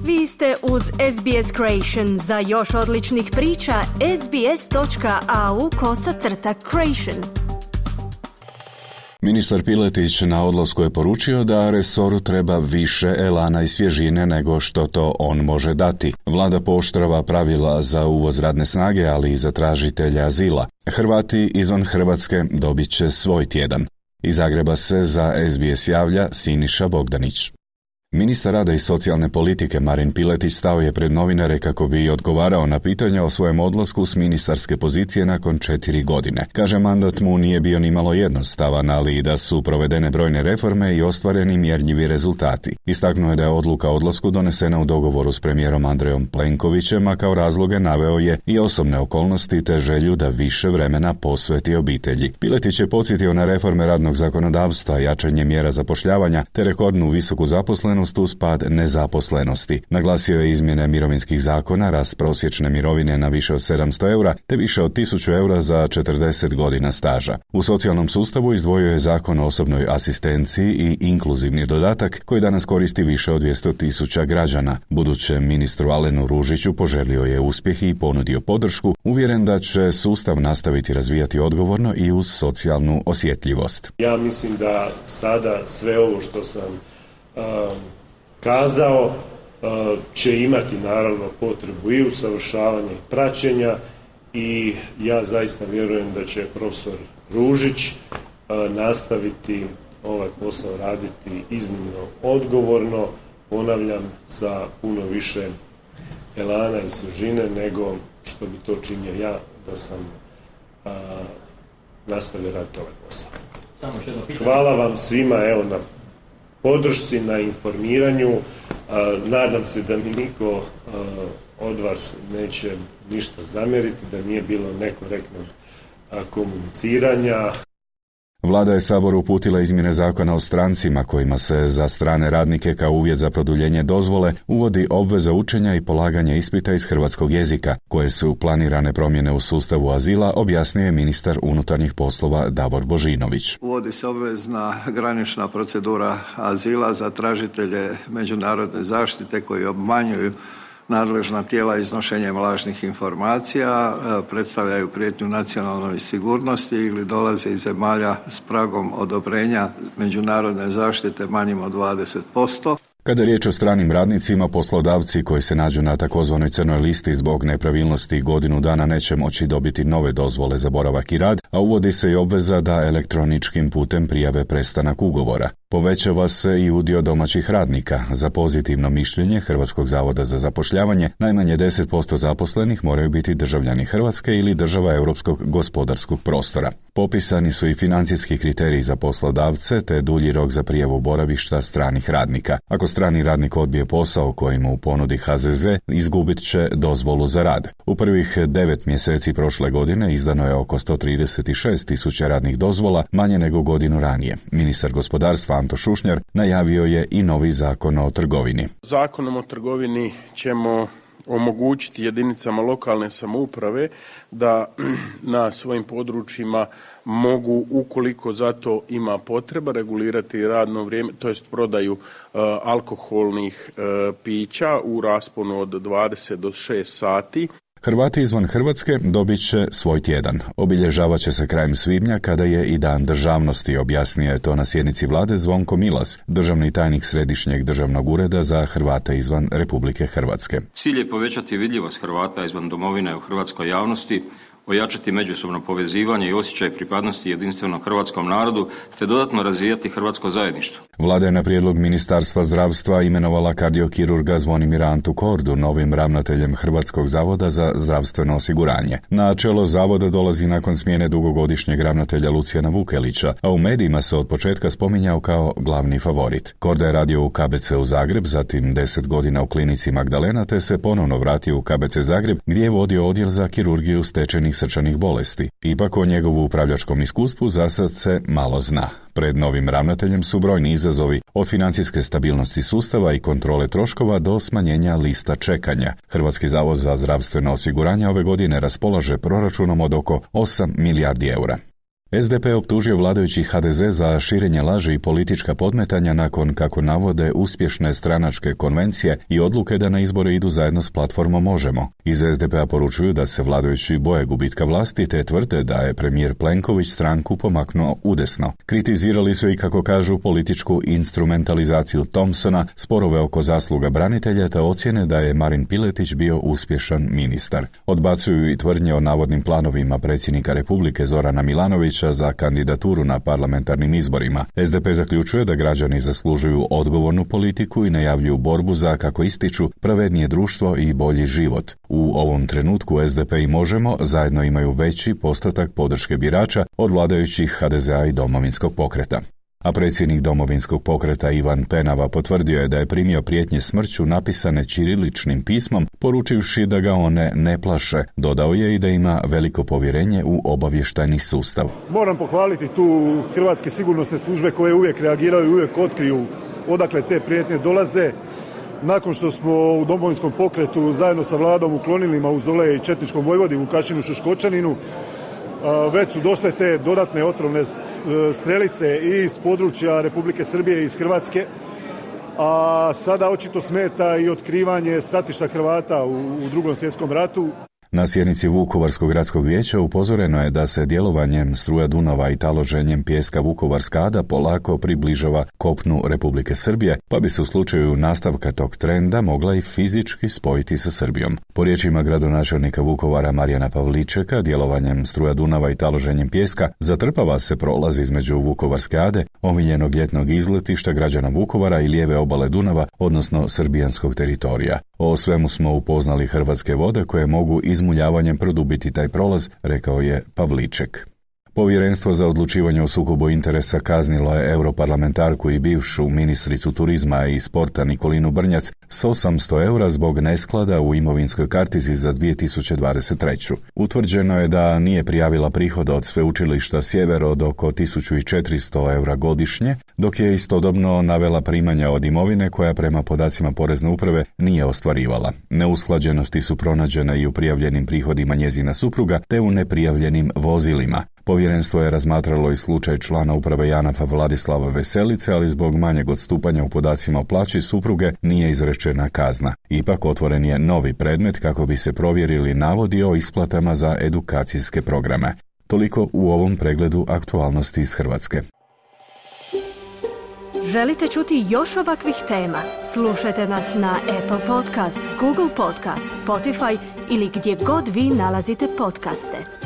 Vi ste uz SBS Creation. Za još odličnih priča, sbs.au/creation. Ministar Piletić na odlasku je poručio da resoru treba više elana i svježine nego što to on može dati. Vlada pooštrava pravila za uvoz radne snage, ali i za tražitelja azila. Hrvati izvan Hrvatske dobit će svoj tjedan. Iz Zagreba se za SBS javlja Siniša Bogdanić. Ministar rada i socijalne politike Marin Piletić stao je pred novinare kako bi odgovarao na pitanja o svojem odlasku s ministarske pozicije nakon 4 godine. Kaže, mandat mu nije bio nimalo jednostavan, ali i da su provedene brojne reforme i ostvareni mjerljivi rezultati. Istaknuo je da je odluka o odlasku donesena u dogovoru s premijerom Andrejom Plenkovićem, a kao razloge naveo je i osobne okolnosti te želju da više vremena posveti obitelji. Piletić je podsjetio na reforme radnog zakonodavstva, jačanje mjera zapošljavanja te rekordnu visoku zaposlenost uz pad nezaposlenosti. Naglasio je izmjene mirovinskih zakona, rast prosječne mirovine na više od 700 eura te više od 1000 eura za 40 godina staža. U socijalnom sustavu izdvojio je zakon o osobnoj asistenciji i inkluzivni dodatak koji danas koristi više od 200.000 građana. Budućem ministru Alenu Ružiću poželio je uspjeh i ponudio podršku, uvjeren da će sustav nastaviti razvijati odgovorno i uz socijalnu osjetljivost. Ja mislim da sada sve ovo što sam kazao će imati naravno potrebu i usavršavanja i praćenja i ja zaista vjerujem da će profesor Ružić nastaviti ovaj posao raditi iznimno odgovorno, ponavljam, sa puno više elana i svježine nego što bi to činio ja da sam nastavio raditi ovaj posao. Hvala vam svima na podršci, na informiranju. Nadam se da mi niko od vas neće ništa zamjeriti, da nije bilo nekorektnog komuniciranja. Vlada je Saboru uputila izmjene zakona o strancima kojima se za strane radnike kao uvjet za produljenje dozvole uvodi obveza učenja i polaganja ispita iz hrvatskog jezika, koje su planirane promjene u sustavu azila, objasnio je ministar unutarnjih poslova Davor Božinović. Uvodi se obvezna granična procedura azila za tražitelje međunarodne zaštite koji obmanjuju nadležna tijela iznošenjem lažnih informacija, predstavljaju prijetnju nacionalnoj sigurnosti ili dolaze iz zemalja s pragom odobrenja međunarodne zaštite manjim od 20%. Kada je riječ o stranim radnicima, poslodavci koji se nađu na takozvanoj crnoj listi zbog nepravilnosti godinu dana neće moći dobiti nove dozvole za boravak i rad, a uvodi se i obveza da elektroničkim putem prijave prestanak ugovora. Povećava se i udio domaćih radnika. Za pozitivno mišljenje Hrvatskog zavoda za zapošljavanje najmanje 10% zaposlenih moraju biti državljani Hrvatske ili država Europskog gospodarskog prostora. Popisani su i financijski kriteriji za poslodavce te dulji rok za prijavu boravišta stranih radnika. Ako strani radnik odbije posao koji mu ponudi HZZ, izgubit će dozvolu za rad. U prvih 9 mjeseci prošle godine izdano je oko 136.000 radnih dozvola, manje nego godinu ranije. Ministar gospodarstva Anto Šušnjar najavio je i novi zakon o trgovini. Zakonom o trgovini ćemo omogućiti jedinicama lokalne samouprave da na svojim područjima mogu, ukoliko za to ima potreba, regulirati radno vrijeme, to jest prodaju alkoholnih pića u rasponu od 20 do 6 sati. Hrvati izvan Hrvatske dobit će svoj tjedan. Obilježavat će se krajem svibnja kada je i Dan državnosti, objasnio je to na sjednici vlade Zvonko Milas, državni tajnik Središnjeg državnog ureda za Hrvate izvan Republike Hrvatske. Cilj je povećati vidljivost Hrvata izvan domovine u hrvatskoj javnosti, ojačati međusobno povezivanje i osjećaj pripadnosti jedinstvenom hrvatskom narodu, te dodatno razvijati hrvatsko zajedništvo. Vlada je na prijedlog Ministarstva zdravstva imenovala kardiokirurga Zvonimira Antu Kordu novim ravnateljem Hrvatskog zavoda za zdravstveno osiguranje. Na čelo zavoda dolazi nakon smjene dugogodišnjeg ravnatelja Lucijana Vukelića, a u medijima se od početka spominjao kao glavni favorit. Korda je radio u KBC u Zagreb, zatim 10 godina u klinici Magdalena, te se ponovno vratio u KBC Zagreb gdje je vodio odjel za kirurgiju stečenih srčanih bolesti. Ipak o njegovu upravljačkom iskustvu zasad se malo zna. Pred novim ravnateljem su brojni izazovi, od financijske stabilnosti sustava i kontrole troškova do smanjenja lista čekanja. Hrvatski zavod za zdravstveno osiguranje ove godine raspolaže proračunom od oko 8 milijardi eura. SDP optužio vladajući HDZ za širenje laži i politička podmetanja nakon, kako navode, uspješne stranačke konvencije i odluke da na izbore idu zajedno s platformom Možemo. Iz SDP-a poručuju da se vladajući boje gubitka vlasti te tvrde da je premijer Plenković stranku pomaknuo udesno. Kritizirali su i, kako kažu, političku instrumentalizaciju Thompsona, sporove oko zasluga branitelja te ocjene da je Marin Piletić bio uspješan ministar. Odbacuju i tvrdnje o navodnim planovima predsjednika Republike Zorana Milanovića za kandidaturu na parlamentarnim izborima. SDP zaključuje da građani zaslužuju odgovornu politiku i najavljuju borbu za, kako ističu, pravednije društvo i bolji život. U ovom trenutku SDP i Možemo zajedno imaju veći postotak podrške birača od vladajućih HDZ-a i Domovinskog pokreta. A predsjednik Domovinskog pokreta Ivan Penava potvrdio je da je primio prijetnje smrću napisane ćiriličnim pismom, poručivši da ga one ne plaše. Dodao je i da ima veliko povjerenje u obavještajni sustav. Moram pohvaliti tu hrvatske sigurnosne službe koje uvijek reagiraju i uvijek otkriju odakle te prijetnje dolaze. Nakon što smo u Domovinskom pokretu zajedno sa vladom uklonili mauzolej četničkom vojvodi Vukašinu Šoškočaninu, već su došle te dodatne otrovne strelice i iz područja Republike Srbije i iz Hrvatske, a sada očito smeta i otkrivanje stratišta Hrvata u Drugom svjetskom ratu. Na sjednici Vukovarskog gradskog vijeća upozoreno je da se djelovanjem struja Dunava i taloženjem pijeska Vukovarska Ada polako približava kopnu Republike Srbije, pa bi se u slučaju nastavka tog trenda mogla i fizički spojiti sa Srbijom. Po riječima gradonačelnika Vukovara Marijana Pavličeka, djelovanjem struja Dunava i taloženjem pijeska zatrpava se prolaz između Vukovarske Ade, omiljenog ljetnog izletišta građana Vukovara i lijeve obale Dunava, odnosno srbijanskog teritorija. O svemu smo upoznali Hrvatske vode koje mogu izmuljavanjem produbiti taj prolaz, rekao je Pavliček. Povjerenstvo za odlučivanje o sukobu interesa kaznilo je europarlamentarku i bivšu ministricu turizma i sporta Nikolinu Brnjac s 800 eura zbog nesklada u imovinskoj kartici za 2023. Utvrđeno je da nije prijavila prihoda od sveučilišta Sjever od oko 1400 eura godišnje, dok je istodobno navela primanja od imovine koja prema podacima Porezne uprave nije ostvarivala. Neusklađenosti su pronađene i u prijavljenim prihodima njezina supruga te u neprijavljenim vozilima. Povjerenstvo je razmatralo i slučaj člana uprave JANAF-a Vladislava Veselice, ali zbog manjeg odstupanja u podacima o plaći supruge nije izrečena kazna. Ipak otvoren je novi predmet kako bi se provjerili navodi o isplatama za edukacijske programe. Toliko u ovom pregledu aktualnosti iz Hrvatske. Želite čuti još ovakvih tema? Slušajte nas na Apple Podcast, Google Podcast, Spotify ili gdje god vi nalazite podcaste.